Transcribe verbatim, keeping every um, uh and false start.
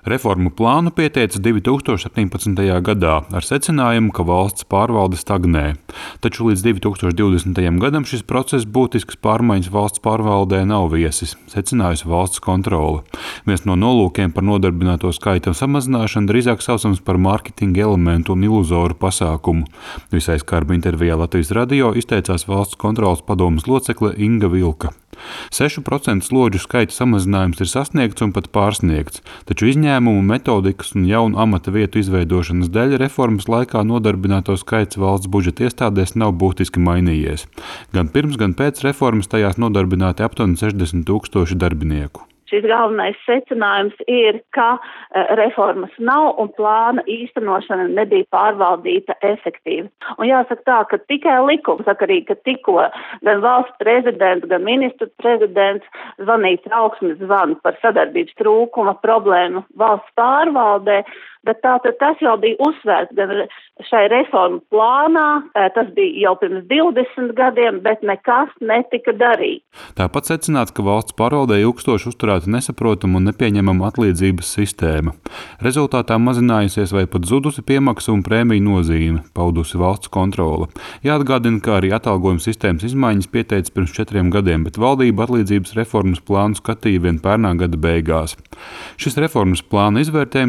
Reformu plānu pieteica divi tūkstoši septiņpadsmitajā gadā ar secinājumu, ka valsts pārvalde stagnē. Taču līdz divi tūkstoši divdesmitajam gadam šis process būtiskas pārmaiņas valsts pārvaldē nav viesis, secinājusi valsts kontrole. Viens no nolūkiem par nodarbināto skaita samazināšanu drīzāk saucams par mārketinga elementu un iluzoru pasākumu. Visai skarba intervijā Latvijas radio izteicās valsts kontroles padomes locekle Inga Vilka. sešu procentu slodžu skaita samazinājums ir sasniegts un pat pārsniegts, taču izņēmumu, metodikas un jaunu amata vietu izveidošanas dēļ reformas laikā nodarbināto skaits valsts budžeta iestādēs nav būtiski mainījies. Gan pirms, gan pēc reformas tajās nodarbināti aptuveni sešdesmit tūkstoši darbinieku. Šis galvenais secinājums ir, ka reformas nav un plāna īstenošana nebija pārvaldīta efektīvi. Un jāsaka tā, ka tikai likumsakarīgi, ka tikko gan valsts prezidents, gan ministru prezidents zvanīja trauksmes zvanu par sadarbības trūkuma problēmu valsts pārvaldē, bet tātad tas jau bija uzsvērts gan šai reformu plānā, tas bija jau pirms divdesmit gadiem, bet nekas netika darīts. Tāpat secināts, ka valsts pārvaldē ilgstoši uzturēta nesaprotama un nepieņemama atlīdzības sistēma. Rezultātā mazinājusies vai pat zudusi piemaksa un prēmiju nozīme, paudusi valsts kontrole. Jāatgādina, ka arī atalgojuma sistēmas izmaiņas pieteica pirms četriem gadiem, bet valdība atlīdzības reformas plānu skatīja vien pērnā gada beigās. Šis reformas plāna izvērtējums